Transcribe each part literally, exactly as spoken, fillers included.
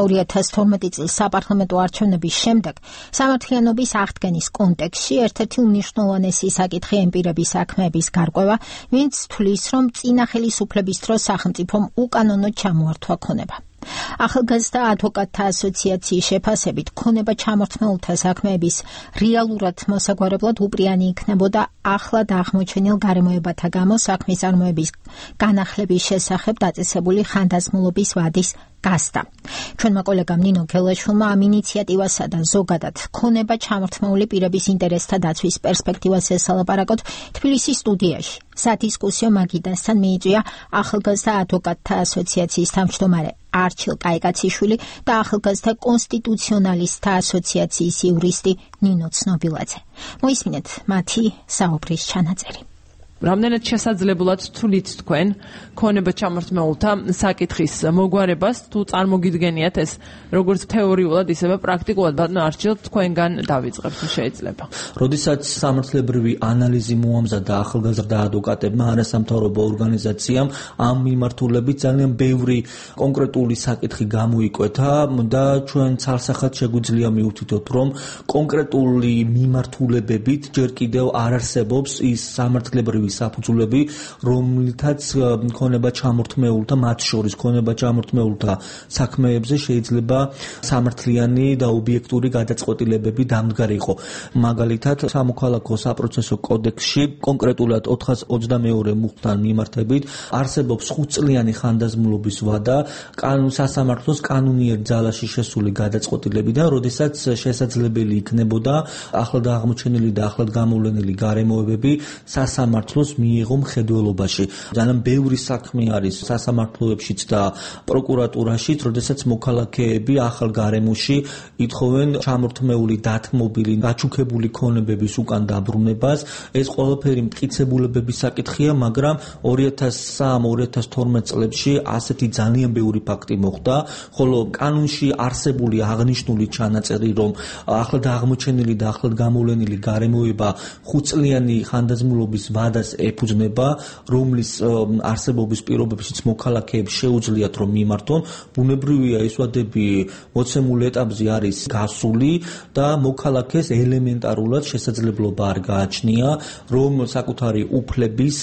ორი ათას თორმეტი წლის საპარლამენტო არჩევნების შემდეგ სამართლიანობის აღდგენის კონტექსტში ერთ-ერთი უმნიშვნელოვანესი საკითხი ამ პირების საქმეების გარკვევა, ვინც თვლის, რომ წინა ხელისუფლების დროს სახელმწიფომ უკანონოდ ჩამოართვა ქონება. ახალგაზრდა ადვოკატთა ასოციაციის შეფასებით ქონება ჩამორთმეულთა საქმეების რეალურად მოსაგვარებლად უპრიანი იქნებოდა ახლად აღმოჩენილ გარემოებათა გამო საქმის წარმოების განახლების შესახებ დაწესებული ხანდაზმულობის ვადის გასდა. ჩვენმა კოლეგამ ნინო გელაშვილმა ამ ინიციატივასა და ზოგადად ქონება ჩამორთმეული პირების ინტერესთა დაცვის პერსპექტივას ესალაპარაკოთ თბილისის სტუდიაში. სადისკუსიო მაგიდასთან მიიწვია ახალგაზრდა ადვოკატთა ასოციაციის თავმჯდომარე არჩილ კაიკაციშვილი და ახალგაზრდა კონსტიტუციონალისტთა ასოციაციის იურისტი ნინო ცნობილაძე. მოისმინეთ მათი საუბრის ჩანაწერი. რამდენად შესაძლებლად თვლით თქვენ ქონება ჩამორთმეულთა საკითხის მოგვარებას, თუ წარმოგიდგენიათ ეს როგორც თეორიულად, ისევე პრაქტიკულად, ბატონო არჩილ, თქვენგან დავიწყებთ, თუ შეიძლება. როდესაც სამართლებრივი ანალიზი მოამზადა ახალგაზრდა ადვოკატებმა, არასამთავრობო ორგანიზაციამ ამ მიმართულებით ძალიან ბევრი კონკრეტული საკითხი გამოიკვეთა და ჩვენ ცალსახად შეგვიძლია მივთითოთ, რომ კონკრეტული მიმართულებებით ჯერ კიდევ არ არსებობს ის სამართლებრივი საფუძვლები, რომლითაც ქონება ჩამორთმეულთა, მათ შორის ქონება ჩამორთმეულთა საქმეებზე შეიძლება სამართლიანი და ობიექტური გადაწყვეტილებები დამდგარიყო. მაგალითად, სამოქალაქო საპროცესო კოდექსში კონკრეტულად ოთხას ოცდამეორე მუხტთან მიმართებით არსებობს ხუთწლიანი ხანდაზმულობის ვადა კანონ სასამართლოს კანონიერ ძალაში შესული გადაწყვეტილებიდან, როდესაც შესაძლებელი იქნებოდა ახლად აღმოჩენილი და ახლად გამოვლენილი გარემოებები სასამართლოს მიიღო მხედველობაში. ძალიან ბევრი საქმე არის სასამართლოებშიც და პროკურატურაშიც, როდესაც მოქალაქეები ახალ გარემოში ითხოვენ ჩამორთმეული, დათმობილი, გაჩუქებული ქონებების უკან დაბრუნებას. ეს ყველაფერი მტკიცებულებების საკითხია, მაგრამ ორი ათას სამი ორი ათას თორმეტ წლებში ასეთი ძალიან ბევრი ფაქტი მოხდა, ხოლო კანონში არსებული აღნიშნული ჩანაწერი, რომ ახლად აღმოჩენილი და ახლად გამოვლენილი გარემოება ხუთწლიანი ხანდაზმულობის ვადას ეფუძნება, რომლის არსებობის პირობებშიც მოქალაქეებს შეუძლიათ რომ მიმართონ, ბუნებრივია ეს ვადები მოცემულ ეტაპზე არის გასული და მოქალაქეს ელემენტარულად შესაძლებლობა არ გააჩნია, რომ საკუთარი უფლების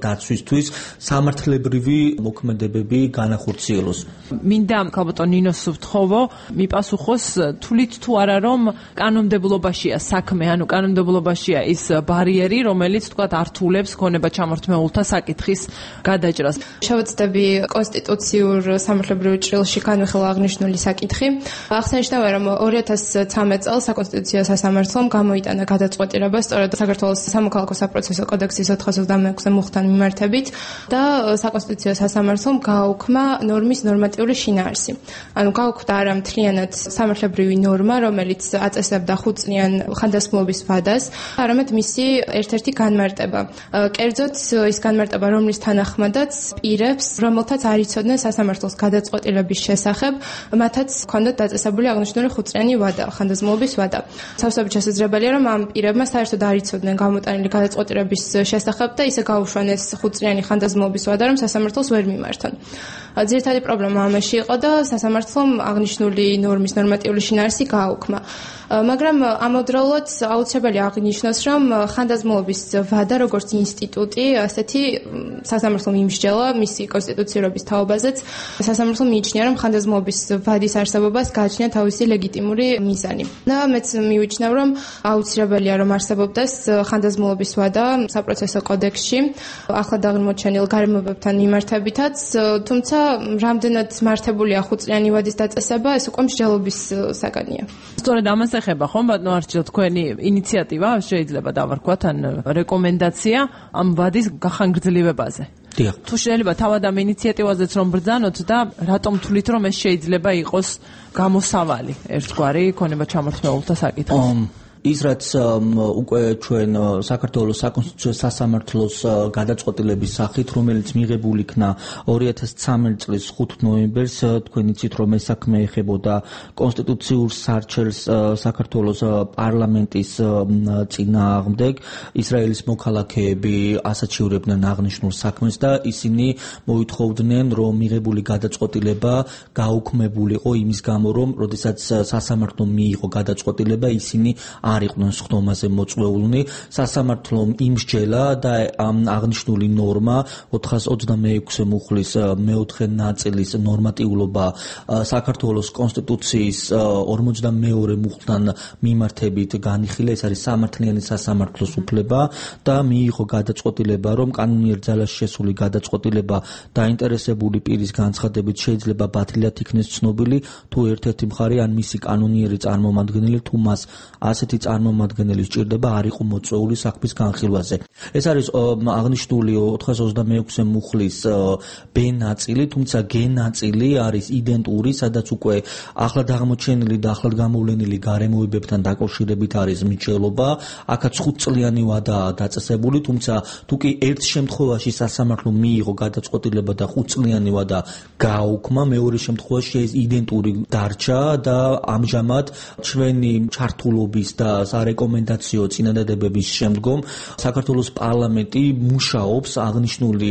დაცვისთვის სამართლებრივი მოქმედებები განახორციელოს. მინდა ქალბატონ ნინოს ვთხოვო, მიპასუხოს, თვლით თუ არა, რომ კანონმდებლობაშია საქმე, ანუ კანონმდებლობაშია ის ბარიერი, რომელიც თქვათ ართულებს ქონება ჩამორთმეულთა საკითხის გადაჭრას. შევეცდები კონსტიტუციურ სამართლებრივ ჭრილში განვიხილვა აღნიშნული საკითხი. აღსანიშნავია, რომ ორი ათას ცხრამეტ წელს საკონსტიტუციო სასამართლომ გამოიტანა გადაწყვეტილება სწორედ საქართველოს სამოქალაქო საპროცესო კოდექსის ოთხას ოცდამეექვსე მუხტთან მიმართებით და საკონსტიტუციო სასამართლომ გააუქმა ნორმის ნორმატიული შინაარსი. ანუ გააუქმდა არა მთლიანად სამართლებრივი ნორმა, რომელიც აწესებდა ხუთწლიან ხანდაზმულობის ვადას, არამედ მისი ერთ-ერთი განმარტება. კერძოდ ის განმარტება, რომლის თანახმადაც პირებს, რომელთაც არ იცოდნენ სასამართლოს გადაწყვეტილების შესახებ, მათაც ჰქონდათ დაწესებული აღნიშნული ხუთწლიანი ვადა, ხანდაზმულობის ვადა. სავსებით შესაძლებელია, რომ ამ პირებმა საერთოდ არ იცოდნენ გამოტანილი გადაწყვეტილების შესახებ და ისე გაუშვან ეს ხუთწლიანი ხანდაზმულობის ვადა, რომ სასამართლოს ვერ მიმართონ. ძირითადი პრობლემა ამაში იყო და სასამართლომ აღნიშნული ნორმის ნორმატიული შინაარსი გააუქმა. მაგრამ ამავდროულად აუცილებელია აღნიშნოს, რომ ხანდაზმულობის ვადა როგორც ინსტიტუტი, ასეთი სასამართლომ იმსჯელა მისი კონსტიტუციურობის თაობაზეც. სასამართლომ მიიჩნია, რომ ხანდაზმულობის ვადის არსებობას გააჩნია თავისი ლეგიტიმური მიზანი. და მეც მივიჩნევ, რომ აუცილებელია, რომ არსებობდეს ხანდაზმულობის ვადა საპროცესო კოდექსში, ახლად აღმოჩენილ გარემოებებთან მიმართებითაც, თუმცა რამდენად მართებულია ხუთწლიანი ვადის დაწესება, ეს უკვე მსჯელობის საგანია. სწორედ ამას ეხება ხომ ბატონო არჩილ თქვენი ინიციატივა, შეიძლება დავარქვათ, ან რეკომენდაცია ამ ვადის გახანგრძლივებაზე. დიახ. თუ შეიძლება თავად ამ ინიციატივაზეც რომ ბრძანოთ და რატომ თვლით, რომ ეს შეიძლება იყოს გამოსავალი ერთგვარი ქონება ჩამორთმეულთა საკითხი? ის რაც უკვე ჩვენ საქართველოს საკონსტიტუციო სასამართლოს გადაწყვეტილების სახით, რომელიც მიღებული იქნა ორი ათას ცხრამეტი წლის ხუთი ნოემბერს, თქვენ იცით რომ ეს საქმე ეხებოდა კონსტიტუციურ სარჩელს საქართველოს პარლამენტის წინააღმდეგ. ისრაელის მოქალაქეები ასაჩივრებდნენ აღნიშნულ საქმეს და ისინი მოითხოვდნენ რომ მიღებული გადაწყვეტილება გაუქმებულიყო იმის გამო რომ როდესაც სასამართლომ მიიღო გადაწყვეტილება ისინი არ იყვნენ სხდომაზე მოწვეულნი. სასამართლომ იმსჯელა და აღნიშნული ნორმა ოთხას ოცდამეექვსე მუხლის მეოთხე ნაწილის ნორმატიულობა საქართველოს კონსტიტუციის ორმოცდამეორე მუხლთან მიმართებით განიხილა. ეს არის სამართლიანი სასამართლოს უფლება და მიიღო გადაწყვეტილება რომ კანონიერ ძალაში შესული გადაწყვეტილება დაინტერესებული პირის განცხადებით შეიძლება ბათილად იქნეს ცნობილი თუ ერთ-ერთი მხარე ან მისი კანონიერი წარმომადგენელი თუ მას ასეთი წარმომადგენელი სჭირდება არ იყო მოწვეული საქმის განხილვაზე. ეს არის აღნიშნული ოთხას ოცდამეექვსე მუხლის ბ ნაწილი, თუმცა გ ნაწილი არის იდენტური, სადაც უკვე ახლად აღმოჩენილი და ახლად გამოვლენილი გარემოებებთან დაკავშირებით არის მსჯელობა. აქაც ხუთწლიანი ვადაა დაწესებული, თუმცა თუ კი ერთ შემთხვევაში სასამართლომ მიიღო გადაწყვეტილება და ხუთწლიანი ვადა გააუქმა, მეორე შემთხვევაში ეს იდენტური დარჩა და ამჟამად ჩვენი ჩართულობის და სარეკომენდაციო წინადადებების შემდგომ საქართველოს პარლამენტი მუშაობს აღნიშნული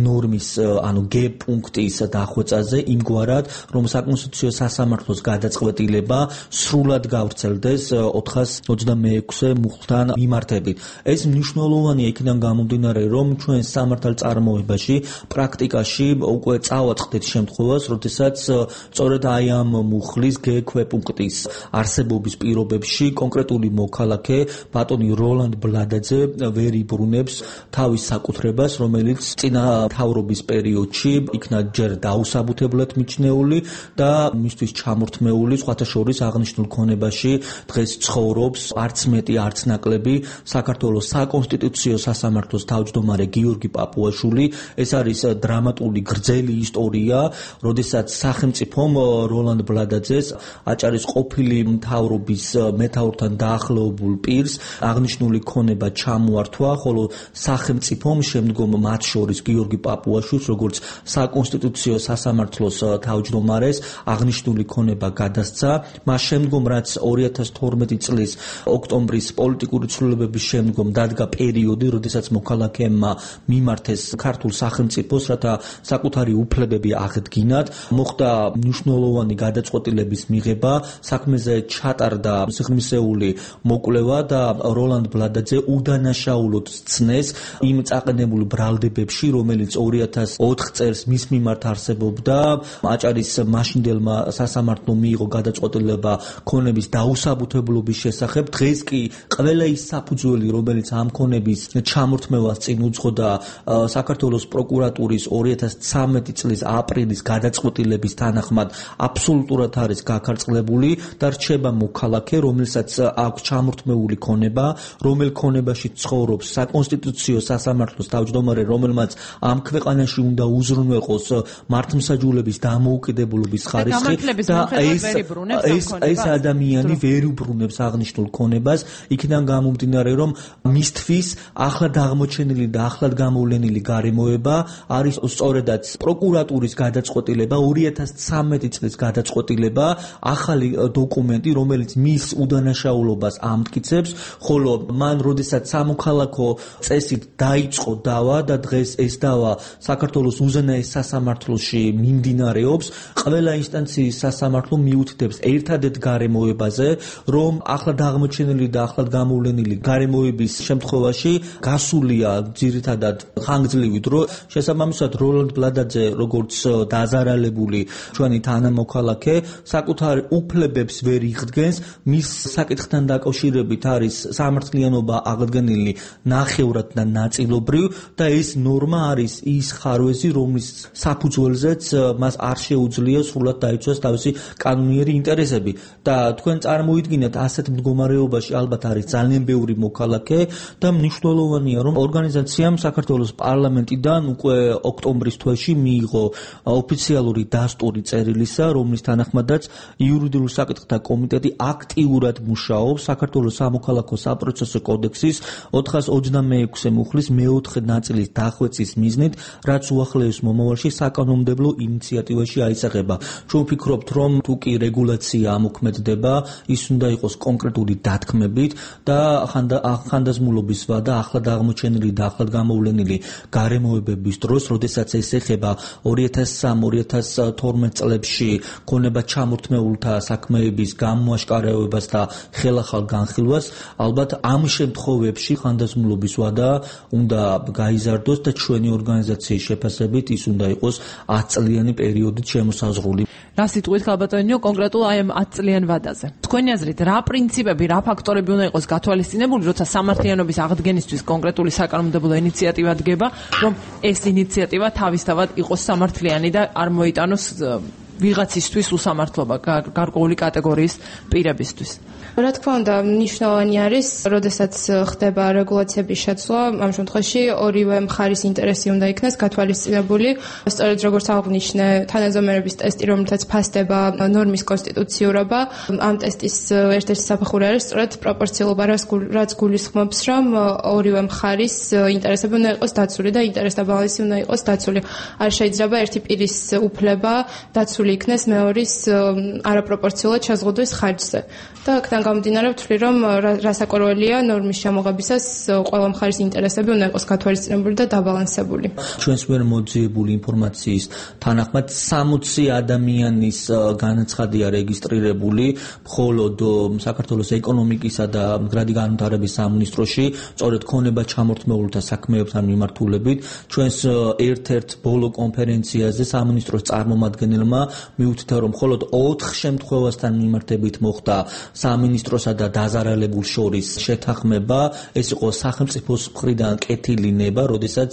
ნორმის, ანუ გ პუნქტის დახვეწაზე იმგვარად, რომ საკონსტიტუციო სასამართლოს გადაწყვეტილება სრულად გავრცელდეს ოთხას ოცდამეექვსე მუხლთან მიმართებით. ეს მნიშვნელოვანია იქიდან გამომდინარე, რომ ჩვენ სამართალწარმოებაში პრაქტიკაში უკვე წავაწყდეთ შემთხვევას, როდესაც სწორედ აი ამ მუხლის გ ქვეპუნქტის არსებობის პირობებში კონკრეტული მოქალაქე ბატონი როლანდ ბლადაძე ვერ იბრუნებს თავის საკუთრებას, რომელიც წინა მთავრობის პერიოდში იქნა ჯერ დაუსაბუთებლად მიჩნეული და მისთვის ჩამორთმეული, სხვათა შორის აღნიშნულ ქონებაში დღეს ცხოვრობს არც მეტი არც ნაკლები საქართველოს საკონსტიტუციო სასამართლოს თავმჯდომარე გიორგი პაპუაშვილი. ეს არის დრამატული გრძელი ისტორია, როდესაც სახელმწიფომ როლანდ ბლადაძეს აჭარის ყოფილი მთავრობის მეთაურთან დაახლოებულ პირს აღნიშნული ქონება ჩამოართვა, ხოლო სახელმწიფომ შემდგომ მათ შორის გიორგი პაპუაშვილს როგორც საკონსტიტუციო სასამართლოს თავმჯდომარეს აღნიშნული ქონება გადასცა. მას შემდგომ რაც ორი ათას თორმეტი წლის ოქტომბრის პოლიტიკური ცვლილებების შემდგომ დადგა პერიოდი, როდესაც მოქალაქეებმა მიმართეს ქართულ სახელმწიფოს, რათა საკუთარი უფლებები აღდგინათ, მოხდა მნიშვნელოვანი გადაწყვეტილების მიღება, საქმეზე ჩატარდა სიღრმისეული მოკვლევა და როლანდ ბლადაძე უდანაშაულოდ სცნეს იმ წაყენებულ ბრალდებებში, რომელიც ორი ათას ოთხ წელს მის მიმართ არსებობდა. აჭარის მაშინდელმა სასამართლომ მიიღო გადაწყვეტილება ქონების დაუსაბუთებლობის შესახებ. დღეს კი ყველა ის საფუძველი, რომელიც ამ ქონების ჩამორთმევას წინ უძღოდა საქართველოს პროკურატურის ორი ათას ცხრამეტი წლის აპრილის გადაწყვეტილების თანახმად აბსოლუტურად არის გაქარწყლებული და რჩება მოქალაქე, რომელსაც აქვს ჩამორთმეული ქონება, რომელ ქონებაში ცხოვრობს საკონსტიტუციო სასამართლოს თავმჯდომარე, რომელმაც ამ ქვეყანაში უნდა უზრუნველყოს მართლმსაჯულების დამოუკიდებლობის ხარისხი და ეს ეს ეს ადამიანი ვერ უბრუნებს აღნიშნულ ქონებას, იქიდან გამომდინარე, რომ მისთვის ახლად აღმოჩენილი და ახლად გამოვლენილი გარემოება არის სწორედაც პროკურატურის გადაწყვეტილება, ორი ათას ცხრამეტი წლის გადაწყვეტილება, ახალი დოკუმენტი, რომელიც მის უდანაშაულობას ამტკიცებს, ხოლო მან როდესაც სამოქალაქო წესით დაიწყო დავა და დღეს ეს დავა საქართველოს უზენაეს სასამართლოში მიმდინარეობს, ყველა ინსტანციის სასამართლო მიუთითებს ერთადერთ გარემოებაზე, რომ ახლად აღმოჩენილი და ახლად გამოვლენილი გარემოების შემთხვევაში გასულია ძირითადად ხანგრძლივი დრო. შესაბამისად როლანდ ბლადაძე როგორც დაზარალებული ჩვენი თანამოქალაქე საკუთარ უფლებებს ვერ იღდგენს, მის საკითხთან დაკავშირებით არის სამართლიანობა აღდგენილი ნახევრად და ნაწილობრივ და ეს ნორმა არის ის ხარვეზი, რომლის საფუძველზეც მას არ შეუძლია სრულად დაიცვას თავისი კანონიერი ინტერესები და თქვენ წარმოიდგინეთ ასეთ მდგომარეობაში ალბათ არის ძალიან ბევრი მოქალაქე და მნიშვნელოვანია რომ ორგანიზაციამ საქართველოს პარლამენტიდან უკვე ოქტომბრის თვეში მიიღო ოფიციალური დასტური წერილისა, რომლის თანახმადაც იურიდიულ საკითხთა კომიტეტი აქტიურად მუშაობს არსებობს საქართველოს სამოქალაქო საპროცესო კოდექსის ოთხას ოცდამეექვსე მუხლის მეოთხე ნაწილის დახვეწის მიზნით, რაც უახლოეს მომავალში საკანონმდებლო ინიციატივაში აისახება. ჩვენ ვფიქრობთ, რომ თუ კი რეგულაცია ამოქმედდება, ის უნდა იყოს კონკრეტული დათქმებით და ხანდაზმულობის ვადა ახლად აღმოჩენილი და ახლად გამოვლენილი გარემოებების დროს, როდესაც ეს ეხება ორი ათას სამი ორი ათას თორმეტ წლებში ქონება ჩამორთმეულთა საქმეების გამოაშკარავებას და ხელახალ განხილვას, ალბათ ამ შემთხვევებში ხანდაზმულობის ვადა უნდა გაიზარდოს და ჩვენი ორგანიზაციის შეფასებით ის უნდა იყოს ათწლიანი პერიოდით შემოსაზღვრული. რა სიტყვით ქალბატონინო კონკრეტულ აი ამ ათწლიან ვადაზე? თქვენი აზრით, რა პრინციპები, რა ფაქტორები უნდა იყოს გათვალისწინებული, როცა სამართლიანობის აღდგენისთვის კონკრეტული საკანონმდებლო ინიციატივა დგება, რომ ეს ინიციატივა თავისთავად იყოს სამართლიანი და არ მოიტანოს ვიღაცისთვის უსამართლობა გარკვეული კატეგორიის პირებისთვის? რა თქმა უნდა, მნიშვნელოვანი არის, როდესაც ხდება რეგულაციების შეცვლა, ამ შემთხვევაში ორივე მხარის ინტერესი უნდა იქნას გათვალისწინებული. სწორედ როგორც აღნიშნე, თანაზომერების ტესტი, რომელთაც ფასდება ნორმის კონსტიტუციურობა, ამ ტესტის ერთ-ერთი საფეხური არის სწორედ პროპორციულობა, რაც გულისხმობს, რომ ორივე მხარის ინტერესები უნდა იყოს დაცული და ინტერესთა ბალანსი უნდა იყოს დაცული. არ შეიძლება ერთი პირის უფლება დაცული იქნეს მეორის არაპროპორციულად შეზღუდვის ხარჯზე. და აქედან გამომდინარე ვთვლი, რომ რასაკვირველია ნორმის ჩამოღებისას ყველა მხარის ინტერესები უნდა იყოს გათვალისწინებული და დაბალანსებული. ჩვენს მიერ მოძიებული ინფორმაციის თანახმად სამოცი ადამიანის განაცხადია რეგისტრირებული, მხოლოდ საქართველოს ეკონომიკისა და მდგრადი განვითარების სამინისტროში, სწორედ ქონება ჩამორთმეულთა საქმეებთან მიმართულებით. ჩვენს ერთ-ერთ ბოლო კონფერენციაზე სამინისტროს წარმომადგენელმა მიუთითა, რომ მხოლოდ ოთხ შემთხვევასთან მიმართებით მოხდა სამინისტროსა და დაზარალებულ შორის შეთანხმება. ეს იყო სახელმწიფოს მხრიდან კეთილი ნება, როდესაც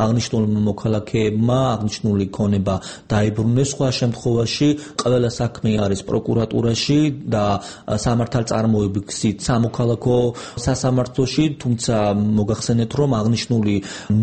აღნიშნულმა მოქალაქეებმა აღნიშნული ქონება დაიბრუნეს. სხვა შემთხვევაში ყველა საქმე არის პროკურატურაში და სამართალწარმოების გზით სამოქალაქო სასამართლოში, თუმცა მოგახსენეთ, რომ აღნიშნული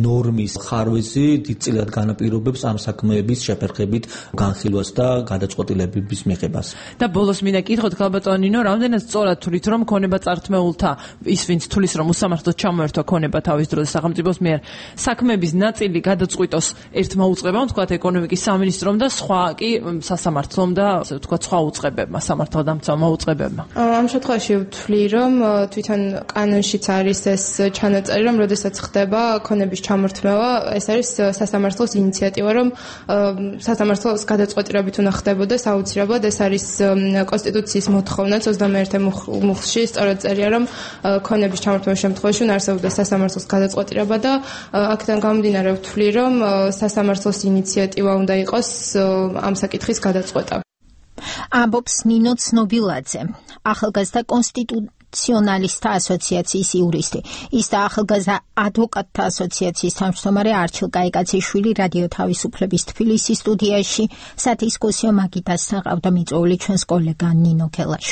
ნორმის ხარვეზი დიდწილად განაპირობებს ამ საქმეების შეფერხებით განხილვას და გადაწყვეტილებების მიღებას. და ბოლოს მინდა კითხოთ ქალბატონინო, რამდენად სწორად თვლით, რომ ქონება წართმეულთა ის ვინც თulis რომ უსამართლოდ ჩამოერთვა ქონება თავის დროზე სახელმწიფოს მიერ საქმეების ნაწილი გადაწყვიტოს ერთმა უწყებამ, თქვათ ეკონომიკის სამინისტრომ და სხვა კი სასამართლომ და ასე ვთქვათ სხვა უწყებებმა, სამართალდამცავმა უწყებებმა. ამ შემთხვევაში ვთვლი, რომ თვითონ კანონშიც არის ეს ჩანაწერი, რომ როდესაც ხდება ქონების ჩამორთმევა, ეს არის სასამართლოს ინიციატივა, რომ სასამართლოს გადაწყვეტილებით უნდა ხდებოდეს აუცილებლად. ეს არის კონსტიტუციის მოთხოვნაც ოცდამეერთე მუხლში სწორად წერია, რომ ქონების ჩამორთმევის შემთხვევაში უნდა არსებობდეს სასამართლოს გადაწყვეტილება და აქედან გამომდინარე ვთვლი, რომ სასამართლოს ინიციატივა უნდა იყოს ამ საკითხის გადაწყვეტა. ამბობს ნინო ცნობილაძე, ახალგაზრდა კონსტიტუციონალისტთა ასოციაციის იურისტი. ის და ახალგაზრდა ადვოკატთა ასოციაციის თავმჯდომარე არჩილ კაიკაციშვილი რადიო თავისუფლების თბილისის სტუდიაში სადისკუსიო მაგიდასთან ყავდა მიწვეული ჩვენს კოლეგა ნინო ქელაშვილი.